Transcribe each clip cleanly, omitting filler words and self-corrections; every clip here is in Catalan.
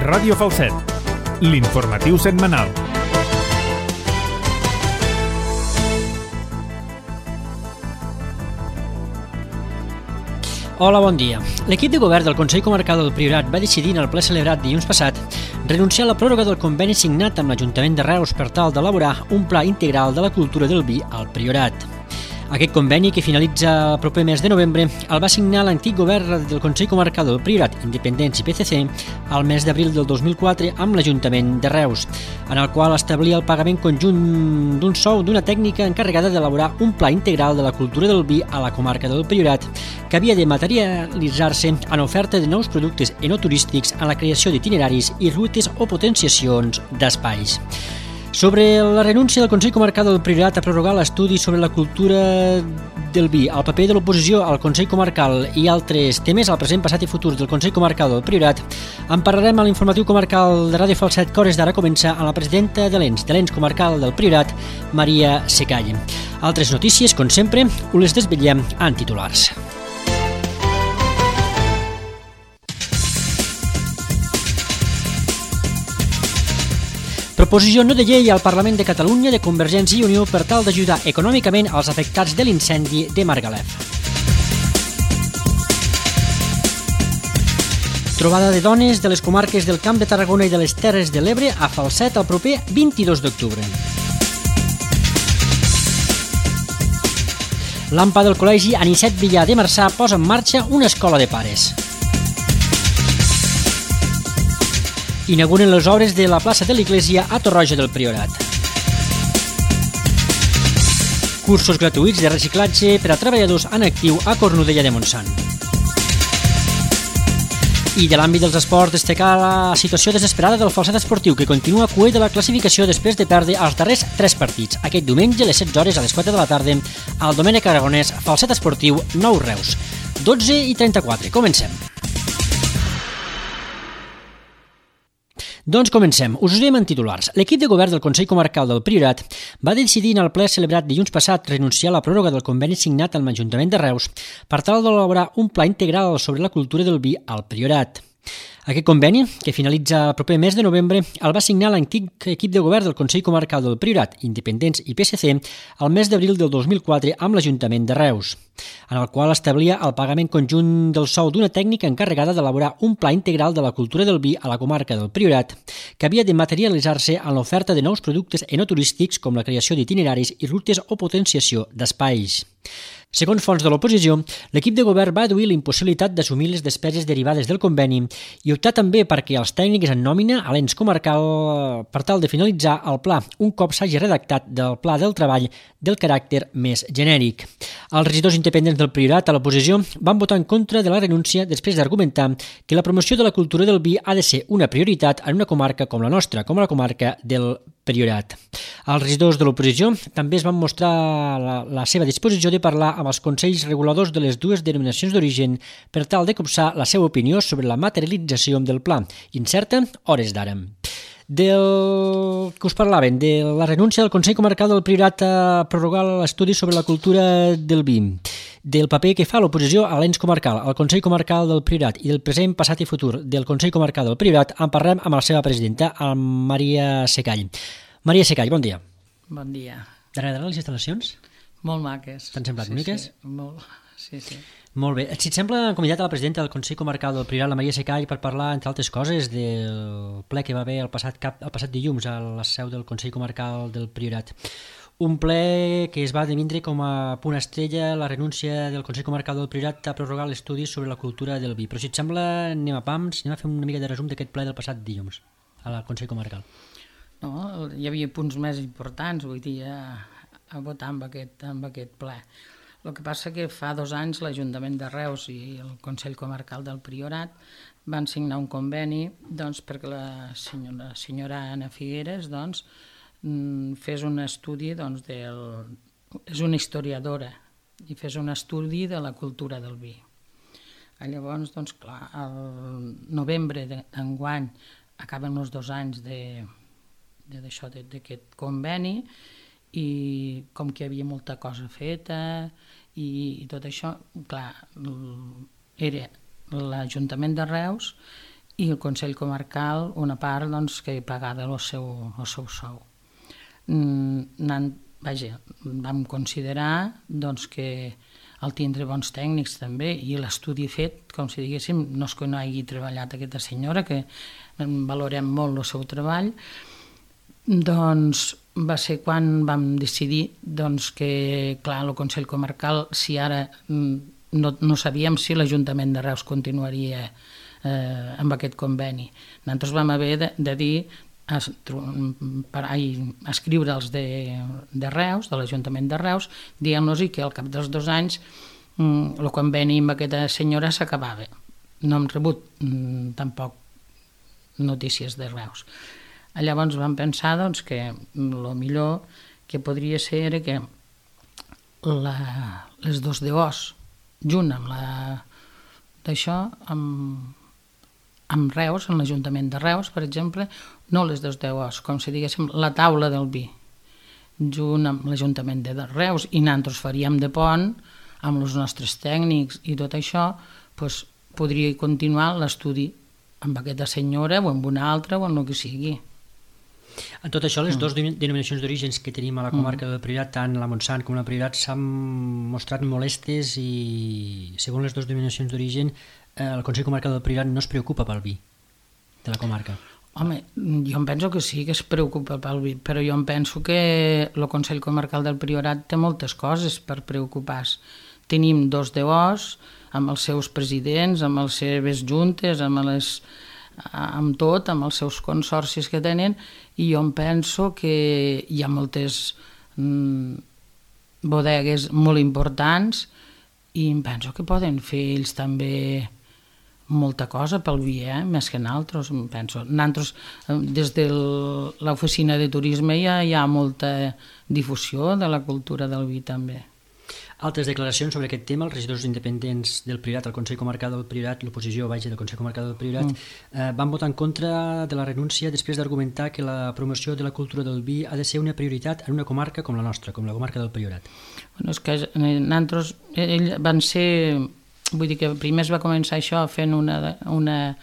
Ràdio Falset, l'informatiu setmanal. Hola, bon dia. L'equip de govern del Consell Comarcal del Priorat va decidir en el ple celebrat dilluns passat renunciar a la pròrroga del conveni signat amb l'Ajuntament de Reus per tal d'elaborar un pla integral de la cultura del vi al Priorat. Aquest conveni, que finalitza el proper mes de novembre, el va signar l'antic govern del Consell Comarcal del Priorat, Independents i PCC, al mes d'abril del 2004 amb l'Ajuntament de Reus, en el qual establia el pagament conjunt d'un sou d'una tècnica encarregada d'elaborar un pla integral de la cultura del vi a la comarca del Priorat, que havia de materialitzar-se en oferta de nous productes enoturístics, en la creació d'itineraris i rutes o potenciacions d'espais. Sobre la renúncia del Consell Comarcal del Priorat a prorrogar l'estudi sobre la cultura del vi, el paper de l'oposició al Consell Comarcal i altres temes al present, passat i futur del Consell Comarcal del Priorat, en parlarem a l'informatiu comarcal de Ràdio Falset, que hores d'ara comença amb la presidenta de l'ENS Comarcal del Priorat, Maria Secall. Altres notícies, com sempre, us les desvetllem en titulars. Proposició no de llei al Parlament de Catalunya de Convergència i Unió per tal d'ajudar econòmicament als afectats de l'incendi de Margalef. Trobada de dones de les comarques del Camp de Tarragona i de les Terres de l'Ebre a Falset el proper 22 d'octubre. L'AMPA del Col·legi Anicet Villar de Marçà posa en marxa una escola de pares. Inauguren les obres de la plaça de l'Església a Torroja del Priorat. Cursos gratuïts de reciclatge per a treballadors en actiu a Cornudella de Montsant. I de l'àmbit dels esports, destacar la situació desesperada del Falset Esportiu, que continua cuer de la classificació després de perdre els darrers 3 partits. Aquest diumenge, a les 16 hores, a les 4 de la tarda, al Domènec Aragonès, Falset Esportiu, Nou Reus. 12:34. Comencem. Doncs comencem. Us ho diem en titulars. L'equip de govern del Consell Comarcal del Priorat va decidir en el ple celebrat dilluns passat renunciar a la pròrroga del conveni signat amb l'Ajuntament de Reus per tal d'elaborar un pla integral sobre la cultura del vi al Priorat. Aquest conveni, que finalitza el proper mes de novembre, el va signar l'antic equip de govern del Consell Comarcal del Priorat, Independents i PSC, al mes d'abril del 2004 amb l'Ajuntament de Reus, en el qual establia el pagament conjunt del sou d'una tècnica encarregada d'elaborar un pla integral de la cultura del vi a la comarca del Priorat, que havia de materialitzar-se en l'oferta de nous productes enoturístics com la creació d'itineraris i rutes o potenciació d'espais. Segons fonts de l'oposició, l'equip de govern va aduir l'impossibilitat d'assumir les despeses derivades del conveni i optar també perquè els tècnics en nòmina a l'ens comarcal per tal de finalitzar el pla un cop s'hagi redactat del pla del treball del caràcter més genèric. Els regidors independents del Priorat a l'oposició van votar en contra de la renúncia després d'argumentar que la promoció de la cultura del vi ha de ser una prioritat en una comarca com la nostra, com la comarca del Priorat. Els regidors de l'oposició també es van mostrar la seva disposició de parlar amb els consells reguladors de les dues denominacions d'origen per tal de copsar la seva opinió sobre la materialització del pla, incerta hores d'ara. Del que us parlaven, de la renúncia del Consell Comarcal del Priorat a prorrogar l'estudi sobre la cultura del vi, del paper que fa l'oposició a l'ens comarcal, al Consell Comarcal del Priorat i del present, passat i futur del Consell Comarcal del Priorat, en parlem amb la seva presidenta, amb Maria Secall. Maria Secall, bon dia. Bon dia. T'agradaran les instal·lacions? Molt maques. T'han semblat boniques? Sí, molt. Sí. Molt bé. Si et sembla, hem convidat a la presidenta del Consell Comarcal del Priorat, la Maria Secall, per parlar, entre altres coses, del ple que va haver el passat dilluns a la seu del Consell Comarcal del Priorat. Un ple que es va devindre com a punt estrella la renúncia del Consell Comarcal del Priorat a prorrogar l'estudi sobre la cultura del vi. Però si et sembla, anem a pams, anem a fer una mica de resum d'aquest ple del passat dilluns al Consell Comarcal. No, hi havia punts més importants, vull dir, a votar amb aquest ple. El que passa que fa 2 anys l'Ajuntament de Reus i el Consell Comarcal del Priorat van signar un conveni perquè la senyora Anna Figueres fes un estudi, és una historiadora, i fes un estudi de la cultura del vi. Llavors, clar, al novembre d'enguany acaben els 2 anys d'aquest conveni i com que hi havia molta cosa feta i tot això, clar, era l'Ajuntament de Reus i el Consell Comarcal una part doncs, que pagava el seu sou. Vaja, vam considerar doncs, que el tindre bons tècnics també i l'estudi fet, com si diguéssim, no és que no hagi treballat aquesta senyora, que valorem molt el seu treball, doncs va ser quan vam decidir doncs, que, clar, el Consell Comarcal, si ara no sabíem si l'Ajuntament de Reus continuaria amb aquest conveni. Nosaltres vam haver de dir, escriure'ls de Reus, de l'Ajuntament de Reus, dient-los que al cap dels 2 anys el conveni amb aquesta senyora s'acabava. No hem rebut tampoc notícies de Reus. Llavors vam pensar doncs, que el millor que podria ser era que les 2 DOs, junt amb d'això, amb Reus, en l'Ajuntament de Reus, per exemple, no les 2 DOs, com si diguéssim la taula del vi, junt amb l'Ajuntament de Reus, i nosaltres faríem de pont amb els nostres tècnics i tot això, doncs podria continuar l'estudi amb aquesta senyora o amb una altra o amb el que sigui. En tot això, les 2 denominacions d'orígens que tenim a la comarca del Priorat, tant la Montsant com la Priorat, s'han mostrat molestes i, segons les 2 denominacions d'origen, el Consell Comarcal del Priorat no es preocupa pel vi de la comarca. Home, jo em penso que sí que es preocupa pel vi, però jo em penso que el Consell Comarcal del Priorat té moltes coses per preocupar-se. Tenim 2 DOs amb els seus presidents, amb les seves juntes, amb tot, amb els seus consorcis que tenen, i jo em penso que hi ha moltes bodegues molt importants i em penso que poden fer ells també molta cosa pel vi, més que nosaltres, penso. Nosaltres, des de l'oficina de turisme ja hi ha molta difusió de la cultura del vi també. Altres declaracions sobre aquest tema, els regidors independents del Priorat, el Consell Comarcal del Priorat, l'oposició del Consell Comarcal del Priorat, van votar en contra de la renúncia després d'argumentar que la promoció de la cultura del vi ha de ser una prioritat en una comarca com la nostra, com la comarca del Priorat. Bueno, és que nosaltres van ser... Vull dir que primer es va començar això fent una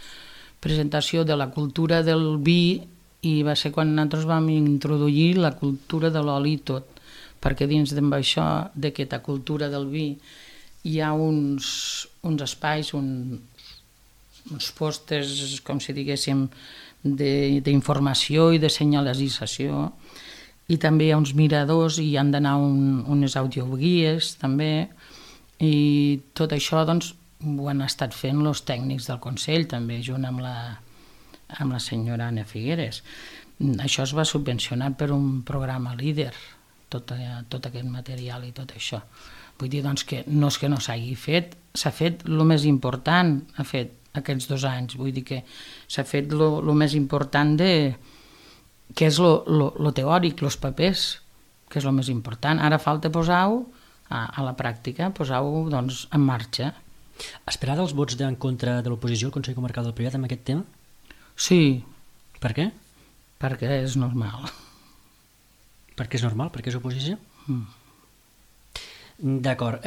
presentació de la cultura del vi i va ser quan nosaltres vam introduir la cultura de l'oli i tot, perquè dins d'això, d'aquesta cultura del vi, hi ha uns espais, uns pòsters, com si diguéssim, d'informació i de senyalització, i també hi ha uns miradors i hi han d'anar unes audioguies també, i tot això doncs, ho han estat fent els tècnics del Consell també, junt amb la senyora Anna Figueres. Això es va subvencionar per un programa líder, tot aquest material i tot això. Vull dir doncs, que no és que no s'hagi fet, s'ha fet el més important, ha fet aquests 2 anys, vull dir que s'ha fet el més important que és lo teòric, els papers, que és el més important. Ara falta posar-ho a la pràctica, posar-ho doncs, en marxa. Esperada els vots en contra de l'oposició al Consell Comarcal del Priorat amb aquest tema? Sí. Per què? Perquè és normal. Perquè és normal? Perquè és oposició? D'acord.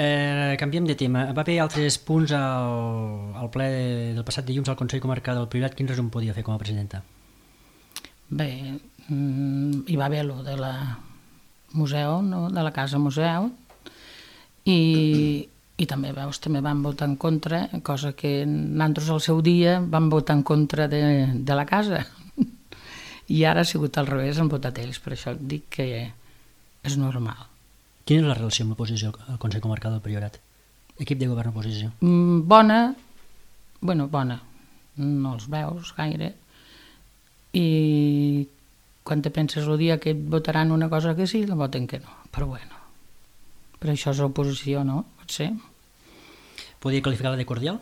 Canviem de tema. Va haver altres punts al ple del passat dilluns al Consell Comarcal del Priorat. Quin resum podia fer com a presidenta? Bé, hi va haver lo de la museu, no? De la casa museu, i també, veus, també van votar en contra, cosa que nosaltres al seu dia vam votar en contra de la casa. I ara ha sigut al revés, han votat ells, per això dic que és normal. Quina és la relació amb l'oposició al Consell Comarcal del Priorat? Equip de govern oposició? Bona, bona, no els veus gaire, i quan te penses el dia que et votaran una cosa que sí, la voten que no, però bueno. Però això és oposició, no? Pot ser. Podria qualificar-la de cordial?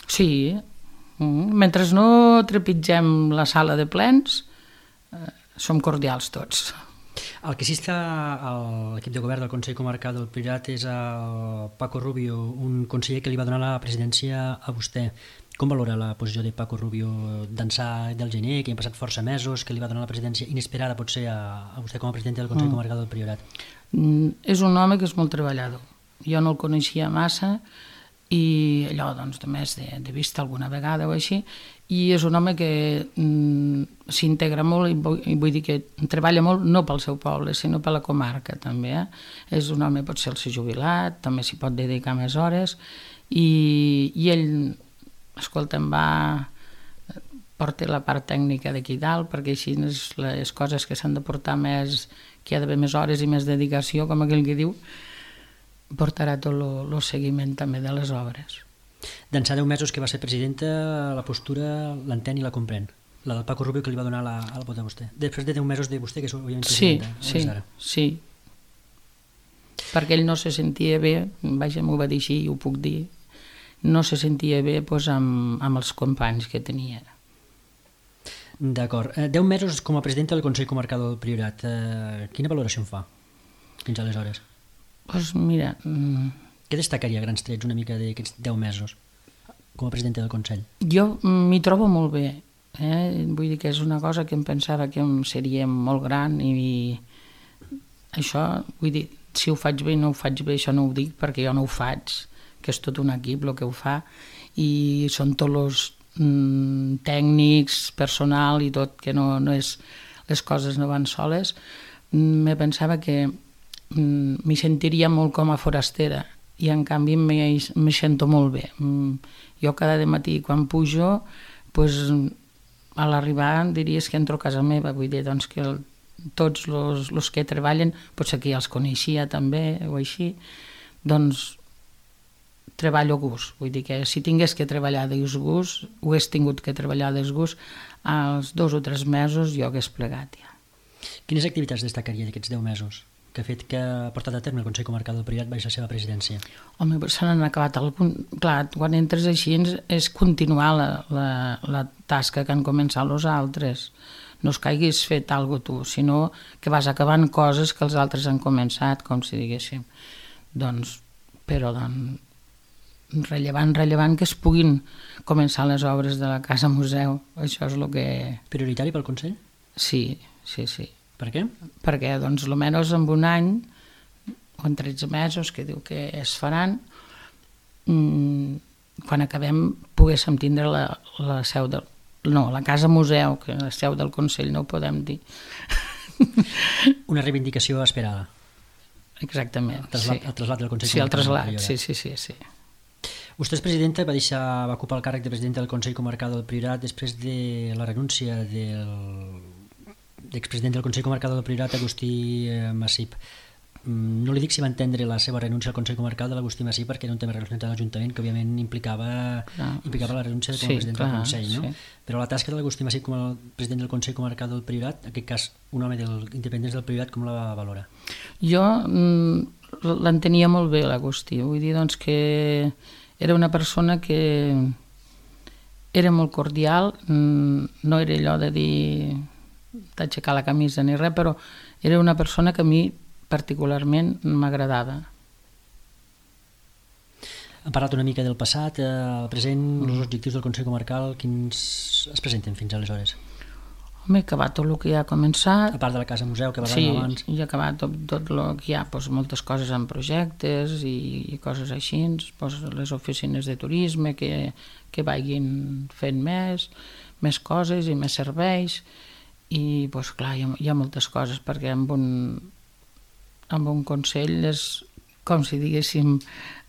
Sí. Mentre no trepitgem la sala de plens, som cordials tots. El que sí està a l'equip de govern del Consell Comarcal del Priorat és el Paco Rubio, un conseller que li va donar la presidència a vostè. Com valora la posició de Paco Rubio d'ençà del gener, que han passat força mesos, que li va donar la presidència inesperada potser a vostè com a president del Consell Comarcal del Priorat? És un home que és molt treballador. Jo no el coneixia massa i allò doncs també és de vista alguna vegada o així, i és un home que s'integra molt i vull dir que treballa molt no pel seu poble sinó per la comarca també, és un home, potser el ser jubilat, també s'hi pot dedicar més hores i ell, escolta, porta la part tècnica d'aquí dalt perquè així les coses que s'han de portar més, que hi ha d'haver més hores i més dedicació, com aquell que diu, portarà tot el seguiment també de les obres. D'ençà 10 mesos que va ser presidenta, la postura l'entén i la comprèn. La del Paco Rubio que li va donar la vot a vostè. Després de 10 mesos de vostè, que és òbviament presidenta. Sí. Perquè ell no se sentia bé, vaja, m'ho va dir així i ho puc dir, no se sentia bé amb els companys que tenia. D'acord. 10 mesos com a presidenta del Consell Comarcal del Priorat. Quina valoració en fa fins aleshores? Doncs mira... Què destacaria a grans trets una mica d'aquests 10 mesos com a presidenta del Consell? Jo m'hi trobo molt bé. Vull dir que és una cosa que em pensava que seria molt gran i això, vull dir, si ho faig bé o no ho faig bé, això no ho dic perquè jo no ho faig, que és tot un equip el que ho fa i són tots els tècnics, personal i tot, que no és, les coses no van soles. Me pensava que m'hi sentiria molt com a forastera i en canvi me sento molt bé. Jo cada matí quan pujo, pues, a l'arribar diries que entro a casa meva, vull dir doncs, que tots els que treballen, potser que ja els coneixia també o així, doncs treballo a gust. Vull dir que si tingués que treballar de gust, ho hagués tingut que treballar de gust, als 2 o 3 mesos jo hagués plegat ja. Quines activitats destacaria d'aquests 10 mesos que ha fet que ha portat a terme el Consell Comarcal del Priorat baix la seva presidència? Home, se n'han acabat clar, quan entres així és continuar la tasca que han començat els altres. No es que haguis fet alguna cosa tu, sinó que vas acabant coses que els altres han començat, com si diguéssim. Doncs, però rellevant que es puguin començar les obres de la Casa Museu. Això és el que... Prioritari pel Consell? Sí. Per què? Perquè, doncs, almenys en un any, o en 13 mesos, que diu que es faran, quan acabem poguéssim tindre la seu del... No, la Casa Museu, que la seu del Consell no ho podem dir. Una reivindicació esperada. Exactament. El trasllat del Consell Comarcal. Sí, el trasllat, sí. Vostè és presidenta, va ocupar el càrrec de presidenta del Consell Comarcal del Priorat després de la renúncia l'expresident del Consell Comarcal del Priorat, Agustí Massip. No li dic si va entendre la seva renúncia al Consell Comarcal de l'Agustí Massip perquè era un tema relacionat amb l'Ajuntament que òbviament implicava la renúncia com a president del Consell, no? Sí. Però la tasca de l'Agustí Massip com a president del Consell Comarcal del Priorat, en aquest cas un home independent del Priorat, com la valora? Jo l'entenia molt bé l'Agustí, vull dir doncs que era una persona que era molt cordial, no era allò de dir d'aixecar la camisa ni res, però era una persona que a mi particularment m'agradava. Hem parlat una mica del passat, el present, els objectius del Consell Comarcal, quins es presenten fins aleshores? Home, he acabat tot el que ja ha començat. A part de la Casa Museu que parlàvem abans. Sí, he acabat tot el que hi ha, doncs, moltes coses en projectes i coses així, doncs, les oficines de turisme que vagin fent més coses i més serveis. I doncs clar, hi ha moltes coses perquè amb un consell és com si diguéssim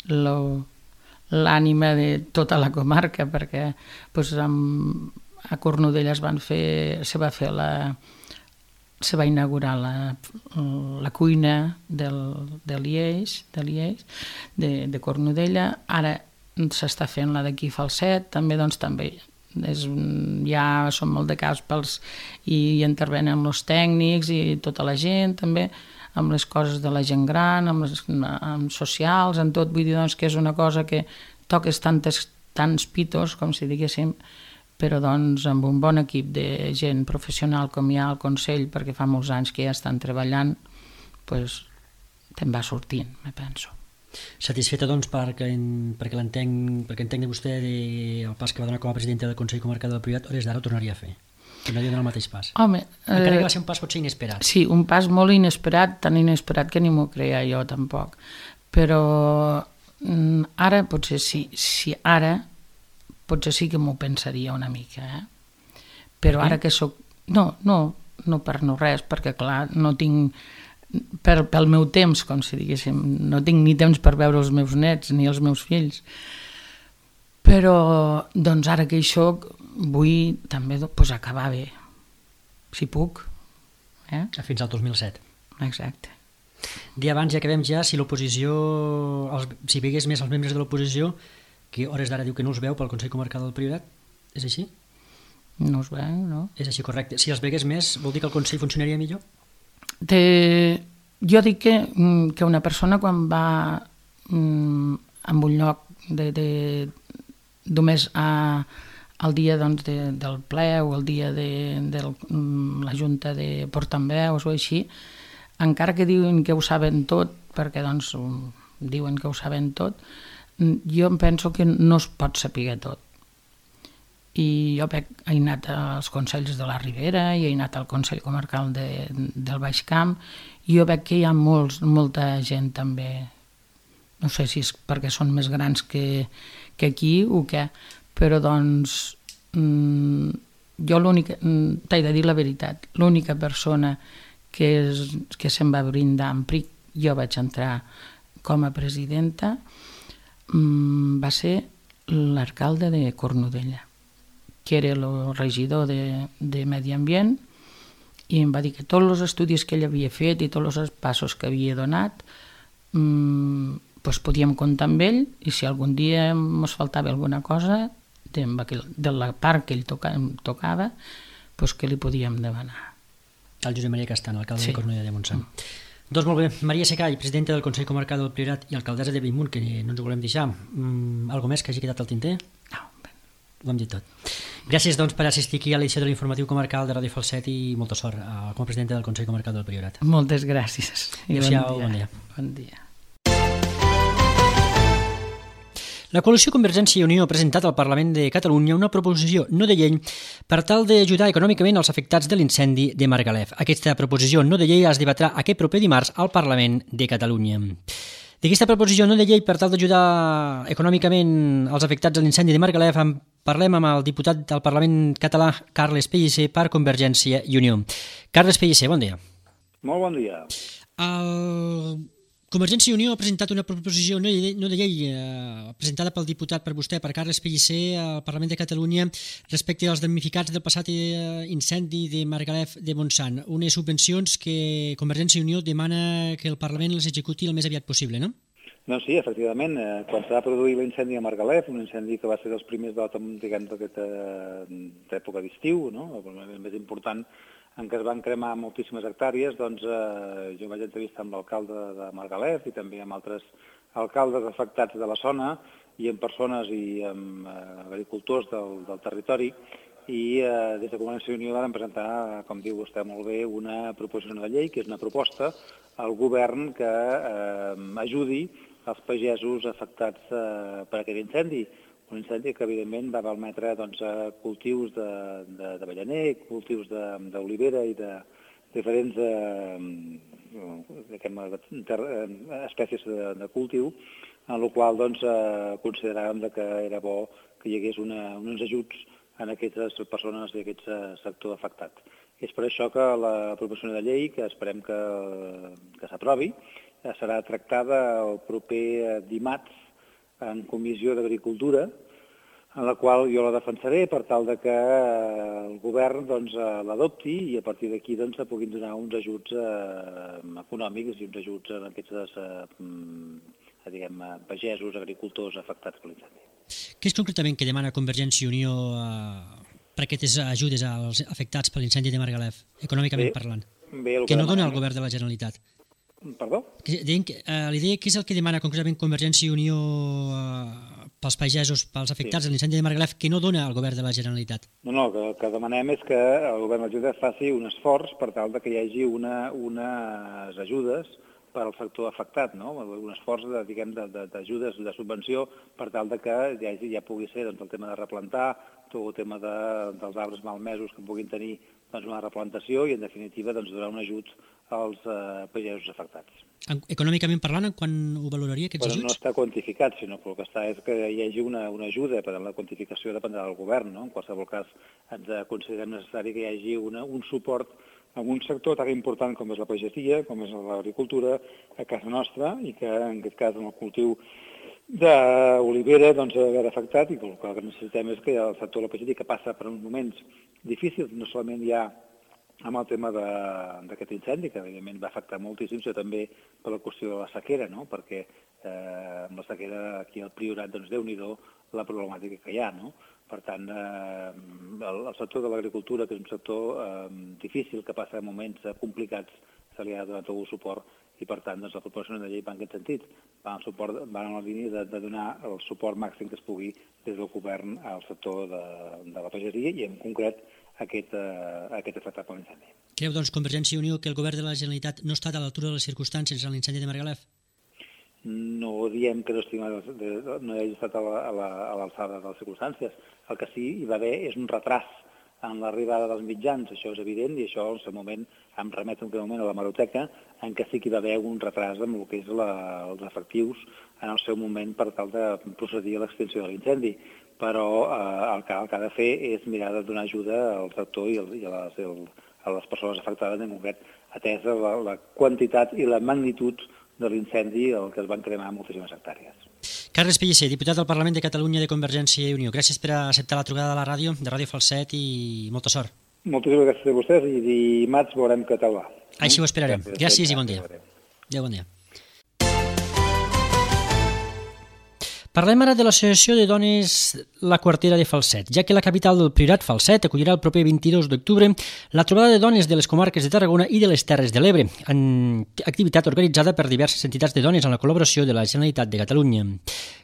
l'ànima de tota la comarca perquè doncs, a Cornudella se va inaugurar la cuina de Lieix, de Cornudella, ara s'està fent la d'aquí Falset, també ja són molt de caps i intervenen els tècnics i tota la gent també amb les coses de la gent gran, amb socials, en tot. Vull dir doncs, que és una cosa que toques tants pitos, com si diguéssim, però doncs, amb un bon equip de gent professional com hi ha al Consell, perquè fa molts anys que ja estan treballant, doncs te'n va sortint, me penso. Satisfeta, doncs, perquè entenc de vostè el pas que va donar com a presidenta del Consell Comarcal del Priorat, hores d'ara ho tornaria a fer. Tornaria a donar el mateix pas. Home, encara que va ser un pas potser inesperat. Sí, un pas molt inesperat, tan inesperat que ni m'ho creia jo tampoc. Però Ara potser sí, ara potser sí que m'ho pensaria una mica, però ara que soc... No per no res, perquè clar, no tinc... Pel meu temps, com si diguéssim, no tinc ni temps per veure els meus nets ni els meus fills. Però, doncs ara que hi soc, vull també acabar bé, si puc. Fins al 2007. Exacte. Dia abans, ja que vam si l'oposició, si vegués més els membres de l'oposició, que a hores d'ara diu que no els veu pel Consell Comarcal del Priorat, és així? No es veu, no? És així, correcte. Si els vegués més, vol dir que el Consell funcionaria millor? Jo dic que una persona quan va en un lloc només el dia del ple o el dia de la junta de portaveus o així, encara que diuen que ho saben tot, perquè doncs diuen que ho saben tot, jo em penso que no es pot saber tot. I jo he anat als Consells de la Ribera i he anat al Consell Comarcal del Baix Camp i jo veig que hi ha molta gent també, no sé si és perquè són més grans que aquí o què, però doncs jo t'he de dir la veritat, l'única persona que se'n va brindar en PRIC, jo vaig entrar com a presidenta, va ser l'alcalde de Cornudella, que era el regidor de Medi Ambient, i em va dir que tots els estudis que ell havia fet i tots els passos que havia donat podíem comptar amb ell, i si algun dia ens faltava alguna cosa de la part que ell tocava, que li podíem demanar. El Josep Maria Castan, alcalde de Cornudella de Montsant. Doncs molt bé, Maria Secall, presidenta del Consell Comarcal del Priorat i alcaldessa de Bellmunt, que no ens ho volem deixar. Algo més que hagi quedat al tinter? No, ho hem dit tot. Gràcies doncs per assistir aquí a l'edició de l'Informatiu Comarcal de Ràdio Falset i molta sort com a presidenta del Consell Comarcal del Priorat. Moltes gràcies. Adéu-siau, bon dia. Bon dia. La coalició Convergència i Unió ha presentat al Parlament de Catalunya una proposició no de llei per tal d'ajudar econòmicament els afectats de l'incendi de Margalef. Aquesta proposició no de llei es debatrà aquest proper dimarts al Parlament de Catalunya. D'aquesta proposició no de llei per tal d'ajudar econòmicament els afectats de l'incendi de Margalef parlem amb el diputat del Parlament català, Carles Pellicer, per Convergència i Unió. Carles Pellicer, bon dia. Molt bon dia. Convergència i Unió ha presentat una proposició no de llei presentada pel diputat per vostè, per Carles Pellicer, al Parlament de Catalunya respecte als damnificats del passat incendi de Margalef de Montsant. Unes subvencions que Convergència i Unió demana que el Parlament les executi el més aviat possible, no? Doncs sí, efectivament. Quan s'ha produït l'incendi a Margalef, un incendi que va ser dels primers d'aquesta època d'estiu, no? El més important, en què es van cremar moltíssimes hectàrees, doncs jo vaig entrevistar amb l'alcalde de Margalef i també amb altres alcaldes afectats de la zona i amb persones i amb agricultors del territori, i des de Convergència i Unió van presentar, com diu vostè molt bé, una proposició de llei, que és una proposta al govern que ajudi els pagesos afectats per aquest incendi. Un incendi que, evidentment, va malmetre cultius d'avellaner, cultius d'olivera i de diferents espècies de cultiu, en la qual consideràvem que era bo que hi hagués uns ajuts en aquestes persones i aquest sector afectat. És per això que la proposició de llei, que esperem que s'aprovi, serà tractada el proper dimarts en Comissió d'Agricultura, en la qual jo la defensaré per tal que el govern l'adopti i a partir d'aquí se puguin donar uns ajuts econòmics i uns ajuts a aquests pagesos, agricultors afectats per l'incendi. Què és concretament que demana Convergència i Unió per aquestes ajudes als afectats per l'incendi de Margalef, econòmicament parlant? Que no dona el govern de la Generalitat. Perdó? Li deia què és el que demana concretament Convergència i Unió pels pagesos, pels afectats de l'incendi de Margalef, que no dona el govern de la Generalitat. No, el que demanem és que el govern de la Generalitat faci un esforç per tal que hi hagi unes ajudes per al sector afectat, no? Un esforç d'ajudes, de subvenció, per tal de que ja pugui ser doncs, el tema de replantar, tot el tema dels arbres malmesos que puguin tenir doncs, una replantació i, en definitiva, doncs, donar un ajut als pagesos afectats. Econòmicament parlant, quan ho valoraria, aquests ajuts? No està quantificat, sinó que el que està és que hi hagi una ajuda, per la quantificació dependrà del govern, no? En qualsevol cas, ens considerem necessari que hi hagi un suport en un sector tan important com és la pagesia, com és l'agricultura a casa nostra, i que en aquest cas en el cultiu d'olivera doncs ha d'haver afectat, i el que necessitem és que el sector de la pagesia, que passa per uns moments difícils, no solament ja amb el tema d'aquest incendi, que evidentment va afectar moltíssim, sinó també per la qüestió de la sequera, no? Perquè amb la sequera aquí al Priorat, doncs Déu-n'hi-do la problemàtica que hi ha, no? Per tant, el sector de l'agricultura, que és un sector difícil, que passa moments complicats, se li ha donat tot el suport, i per tant doncs, la proposició de llei va en aquest sentit, va en la línia de donar el suport màxim que es pugui des del govern al sector de la pagesia i en concret aquest afectat per l'incendi. Creu, doncs, Convergència i Unió que el govern de la Generalitat no ha estat a l'altura de les circumstàncies en l'incendi de Margalef? No diem que no hagi estat a l'alçada de les circumstàncies. El que sí hi va haver és un retras en l'arribada dels mitjans, això és evident, i això en el moment em remet en aquell moment a l'hemeroteca, en què sí que hi va haver un retras amb el que és els efectius en el seu moment per tal de procedir a l'extinció de l'incendi. Però el que ha de fer és mirar de donar ajuda al sector i a les persones afectades, en concret, atesa la quantitat i la magnitud de l'incendi el que es van cremar moltíssimes hectàrees. Carles Pellicer, diputat del Parlament de Catalunya de Convergència i Unió. Gràcies per acceptar la trucada de la ràdio, de Ràdio Falset, i molta sort. Moltíssimes gràcies a vostès i dimarts veurem què tal va. Així ho esperarem. Gràcies i bon dia. Adéu, bon dia. Parlem ara de l'Associació de Dones La Quartera de Falset, ja que la capital del Priorat, Falset, acollirà el proper 22 d'octubre la trobada de dones de les comarques de Tarragona i de les Terres de l'Ebre, en activitat organitzada per diverses entitats de dones amb la col·laboració de la Generalitat de Catalunya.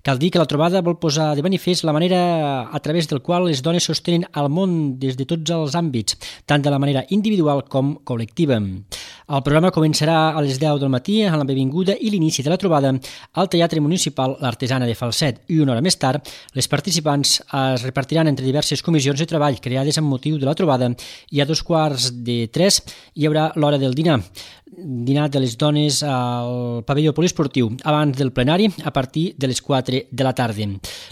Cal dir que la trobada vol posar de manifest la manera a través del qual les dones sostenen el món des de tots els àmbits, tant de la manera individual com col·lectiva. El programa començarà a les 10 del matí amb la benvinguda i l'inici de la trobada al Teatre Municipal L'Artesana de Falset, i una hora més tard les participants es repartiran entre diverses comissions de treball creades amb motiu de la trobada, i a 2:45 hi haurà l'hora del dinar de les dones al pavelló poliesportiu abans del plenari a partir de les 4 de la tarda.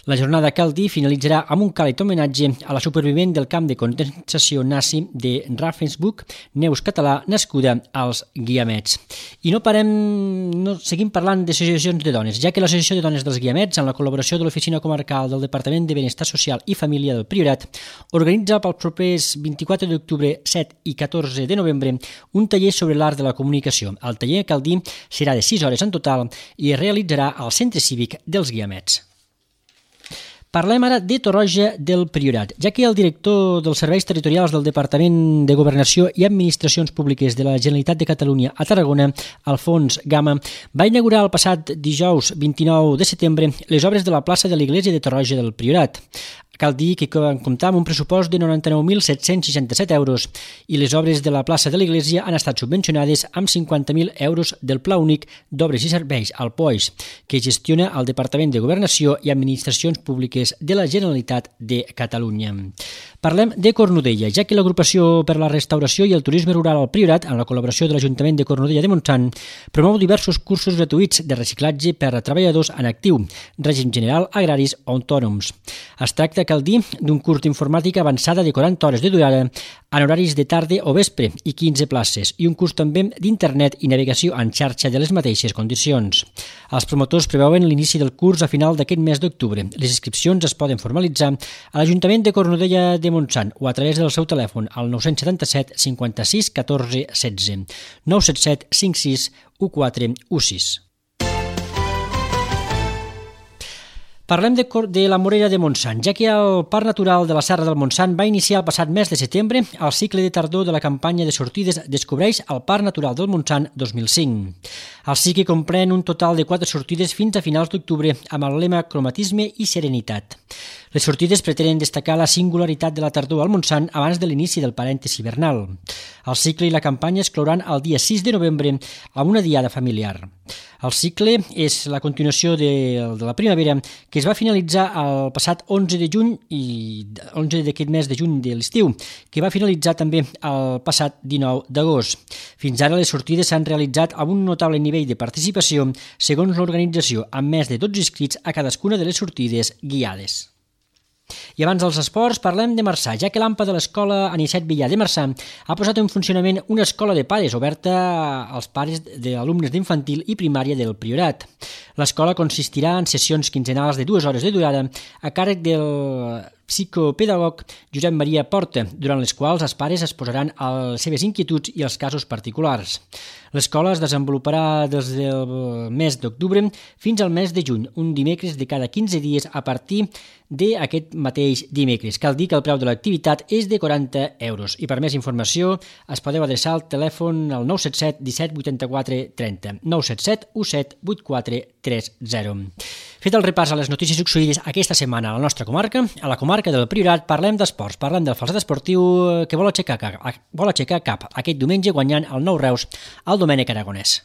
La jornada, cal dir, finalitzarà amb un càlid homenatge a la supervivent del camp de concentració nazi de Ravensbrück, Neus Català, nascuda als Guiamets. I seguim parlant d'associacions de dones, ja que l'Associació de Dones dels Guiamets, amb la col·laboració de l'Oficina Comarcal del Departament de Benestar Social i Família del Priorat, organitza pels propers 24 d'octubre, 7 i 14 de novembre un taller sobre l'art de la comunicació. El taller, cal dir, serà de 6 hores en total i es realitzarà al Centre Cívic dels Guiamets. Parlem ara de Torroja del Priorat, ja que el director dels Serveis Territorials del Departament de Governació i Administracions Públiques de la Generalitat de Catalunya a Tarragona, Alfons Gama, va inaugurar el passat dijous 29 de setembre les obres de la plaça de l'Església de Torroja del Priorat. Cal dir que van comptar amb un pressupost de 99.767 euros i les obres de la plaça de l'Església han estat subvencionades amb 50.000 euros del Pla Únic d'Obres i Serveis, el POIS, que gestiona el Departament de Governació i Administracions Públiques de la Generalitat de Catalunya. Parlem de Cornudella, ja que l'Agrupació per la Restauració i el Turisme Rural al Priorat, amb la col·laboració de l'Ajuntament de Cornudella de Montsant, promou diversos cursos gratuïts de reciclatge per a treballadors en actiu, règim general, agraris o autònoms. Es tracta, cal dir, d'un curs d'informàtica avançada de 40 hores de durada en horaris de tarda o vespre i 15 places, i un curs també d'internet i navegació en xarxa de les mateixes condicions. Els promotors preveuen l'inici del curs a final d'aquest mes d'octubre. Les inscripcions es poden formalitzar a l'Ajuntament de Cornudella de Montsant o a través del seu telèfon al 977 56 14 16 977 56 14 16. Parlem de la Morera de Montsant, ja que el Parc Natural de la Serra del Montsant va iniciar el passat mes de setembre el cicle de tardor de la campanya de sortides Descobreix el Parc Natural del Montsant 2005. El cicle comprèn un total de 4 sortides fins a finals d'octubre amb el lema Cromatisme i Serenitat. Les sortides pretenen destacar la singularitat de la tardor al Montsant abans de l'inici del parèntesi hivernal. El cicle i la campanya es clouran el dia 6 de novembre amb una diada familiar. El cicle és la continuació de la primavera que es va finalitzar el passat 11 de juny i 11 d'aquest mes de juny de l'estiu, que va finalitzar també el passat 19 d'agost. Fins ara les sortides s'han realitzat amb un notable nivell de participació segons l'organització, amb més de 12 inscrits a cadascuna de les sortides guiades. I abans dels esports parlem de Marçà, ja que l'AMPA de l'Escola Anicet Villar de Marçà ha posat en funcionament una escola de pares oberta als pares d'alumnes d'infantil i primària del Priorat. L'escola consistirà en sessions quinzenals de 2 hores de durada a càrrec del psicopedagog Josep Maria Porta, durant les quals els pares es posaran a les seves inquietuds i els casos particulars. L'escola es desenvoluparà des del mes d'octubre fins al mes de juny, un dimecres de cada 15 dies a partir d'aquest mateix dimecres. Cal dir que el preu de l'activitat és de 40 euros i per més informació es podeu adreçar al telèfon al 977 17 84 30, 977 17 84 30. Fet el repàs a les notícies succeïdes aquesta setmana a la nostra comarca, a la comarca del Priorat parlem d'esports, parlem del falset esportiu que vol aixecar cap aquest diumenge guanyant el Nou Reus al Domènec Aragonès.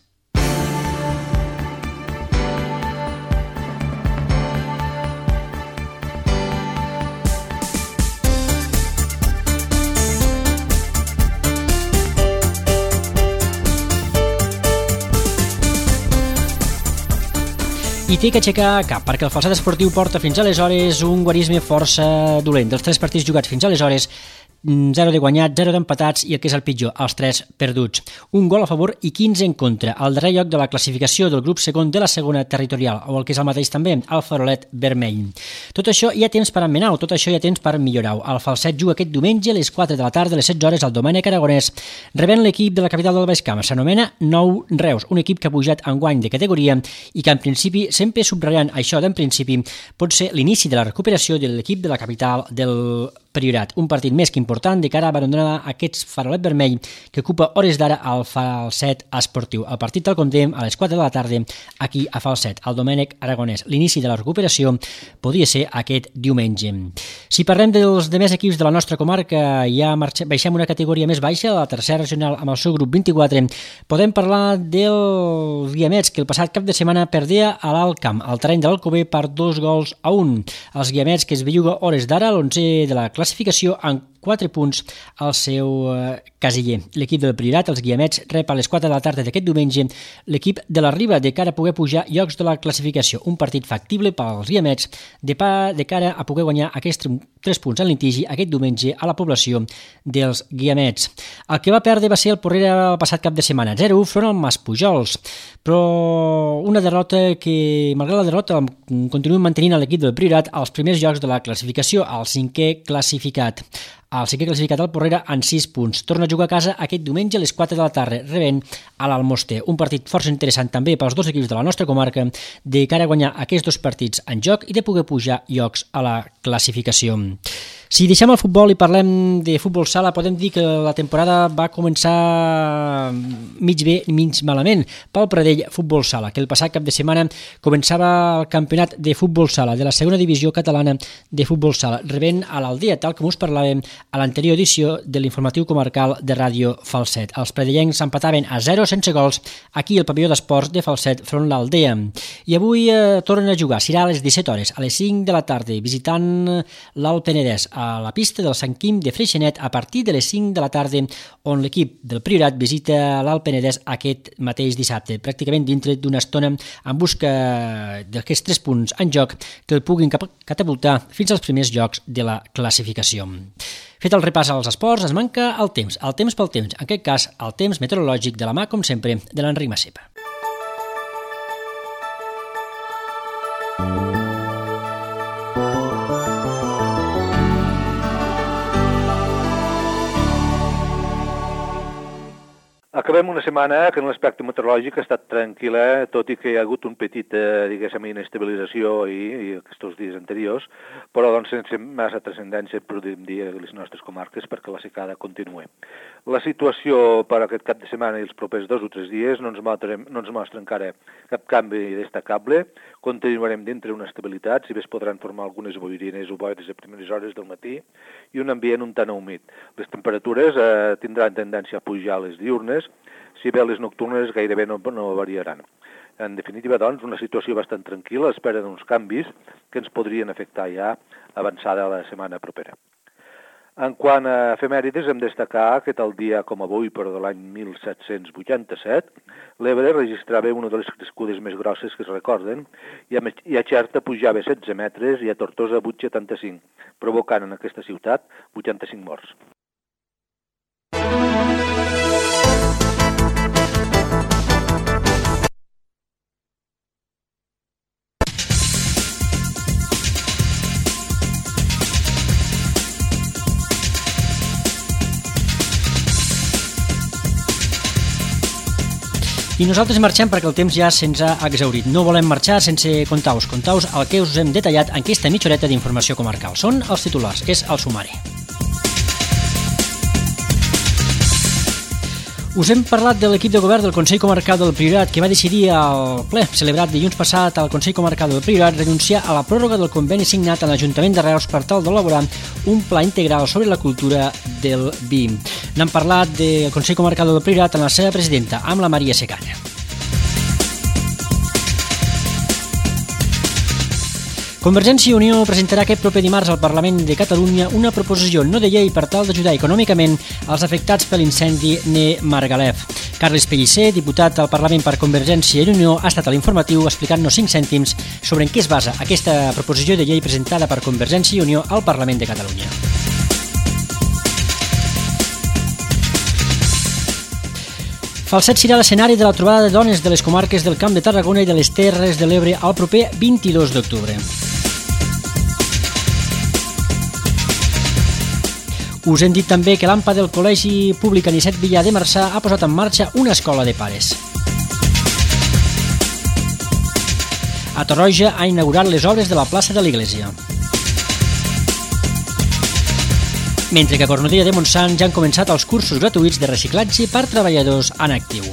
I té que aixecar cap, perquè el falset esportiu porta fins aleshores un guarisme força dolent. Dels 3 partits jugats fins aleshores, 0 de guanyats, 0 d'empatats i el que és el pitjor, els 3 perduts. Un gol a favor i 15 en contra, al darrer lloc de la classificació del grup segon de la segona territorial, o el que és el mateix també, el farolet vermell. Tot això hi ha temps per emmenar-ho, tot això hi ha temps per millorar-ho. El falset juga aquest diumenge a les 4 de la tarda, a les 16 hores, al Domènec Aragonès, rebent l'equip de la capital del Baix Camp. S'anomena Nou Reus, un equip que ha pujat enguany de categoria i que en principi, sempre subratllant això d'en principi, pot ser l'inici de la recuperació de l'equip de la capital del Priorat, un partit més que important de cara a abandonar aquest farolet vermell que ocupa hores d'ara al falset esportiu. El partit tal com dèiem a les 4 de la tarda aquí a Falset, al Domènec Aragonès. L'inici de la recuperació podria ser aquest diumenge. Si parlem dels demés equips de la nostra comarca, ja baixem una categoria més baixa, la tercera regional amb el seu grup 24, podem parlar dels Guiamets, que el passat cap de setmana perdia a l'Alt Camp, al terreny de l'Alcover, per 2-1. Els Guiamets, que es belluga hores d'ara a l'11 de la classificació en 4 punts al seu casiller. L'equip del Priorat, els Guiamets, rep a les 4 de la tarda d'aquest diumenge l'equip de la Riba de cara a poder pujar llocs de la classificació. Un partit factible pels Guiamets de cara a poder guanyar aquests 3 punts en litigi aquest diumenge a la població dels Guiamets. El que va perdre va ser el Porrera el passat cap de setmana, 0-1 front al Maspujols, però una derrota que, malgrat la derrota, continuen mantenint l'equip del Priorat als primers llocs de la classificació, al 5è classificat. El 5è classificat al Porrera en 6 punts. Torna a jugar a casa aquest diumenge a les 4 de la tarda, rebent a l'Almoster. Un partit força interessant també pels dos equips de la nostra comarca, de cara a guanyar aquests 2 partits en joc i de poder pujar llocs a la classificació. Si deixem el futbol i parlem de futbol sala, podem dir que la temporada va començar mig bé i mig malament pel Pradell Futbol Sala, que el passat cap de setmana començava el campionat de futbol sala de la segona divisió catalana de futbol sala, rebent a l'Aldea, tal com us parlàvem a l'anterior edició de l'informatiu comarcal de Ràdio Falset. Els pradellencs s'empataven a 0 sense gols aquí al pavelló d'esports de Falset front l'Aldea. I avui tornen a jugar, serà a les 17 hores, a les 5 de la tarda, visitant l'Alt Penedès, a la pista del Sant Quim de Freixenet a partir de les 5 de la tarda, on l'equip del Priorat visita l'Alt Penedès aquest mateix dissabte, pràcticament dintre d'una estona en busca d'aquests 3 punts en joc que el puguin catapultar fins als primers llocs de la classificació. Fet el repàs als esports, ens manca el temps pel temps, en aquest cas el temps meteorològic de la mà, com sempre, de l'Enric Massepa. Acabem una setmana que en l'aspecte meteorològic ha estat tranquil·la, tot i que hi ha hagut un petit, inestabilització i aquests dies anteriors, però doncs sense massa transcendència, podríem dir, a les nostres comarques perquè la secada continua. La situació per aquest cap de setmana i els propers 2 o 3 dies no ens mostra encara cap canvi destacable. continuarem dintre una estabilitat, si bé es podran formar algunes boirines o boires a primeres hores del matí i un ambient un tant humit. Les temperatures tindran tendència a pujar a les diurnes, si bé les nocturnes gairebé no variaran. En definitiva, doncs, una situació bastant tranquil·la, a l'espera d'uns canvis que ens podrien afectar ja avançada la setmana propera. En quant a efemèrides, hem de destacar que tal dia com avui, però de l'any 1787, l'Ebre registrava una de les crescudes més grosses que es recorden, i a Xerta pujava 16 metres i a Tortosa 8,75, provocant en aquesta ciutat 85 morts. I nosaltres marxem perquè el temps ja se'ns ha exhaurit. No volem marxar sense contar-vos el que us hem detallat en aquesta mitja horeta d'informació comarcal. Són els titulars, és el sumari. Us hem parlat de l'equip de govern del Consell Comarcal del Priorat que va decidir al ple celebrat dilluns passat al Consell Comarcal del Priorat renunciar a la pròrroga del conveni signat a l'Ajuntament de Reus per tal d'elaborar un pla integral sobre la cultura del vi. N'hem parlat del Consell Comarcal del Priorat amb la seva presidenta, amb la Maria Secana. Convergència i Unió presentarà aquest proper dimarts al Parlament de Catalunya una proposició no de llei per tal d'ajudar econòmicament als afectats per l'incendi de Margalef. Carles Pellicer, diputat al Parlament per Convergència i Unió, ha estat a l'informatiu explicant-nos 5 cèntims sobre en què es basa aquesta proposició de llei presentada per Convergència i Unió al Parlament de Catalunya. Falset serà l'escenari de la trobada de dones de les comarques del Camp de Tarragona i de les Terres de l'Ebre el proper 22 d'octubre. Us hem dit també que l'AMPA del Col·legi Públic Anicet Villar de Marçà ha posat en marxa una escola de pares. A Torroja ha inaugurat les obres de la plaça de l'Iglésia. Mentre que a Cornudella de Montsant ja han començat els cursos gratuïts de reciclatge per treballadors en actiu.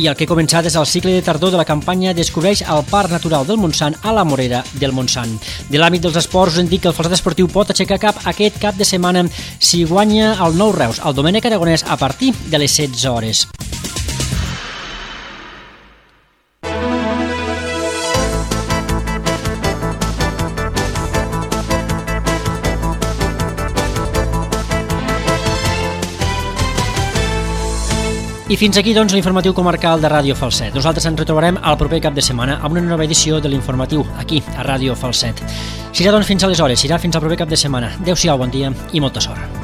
I el que ha començat és el cicle de tardor de la campanya Descobreix el Parc Natural del Montsant a la Morera del Montsant. De l'àmbit dels esports us hem dit que el Falset Esportiu pot aixecar cap aquest cap de setmana si guanya el Nou Reus, el Domènec Aragonès, a partir de les 16 hores. I fins aquí, doncs, l'informatiu comarcal de Ràdio Falset. Nosaltres ens retrobarem el proper cap de setmana amb una nova edició de l'informatiu, aquí, a Ràdio Falset. Serà, doncs, fins aleshores, serà fins al proper cap de setmana. Adéu-siau, bon dia i molta sort.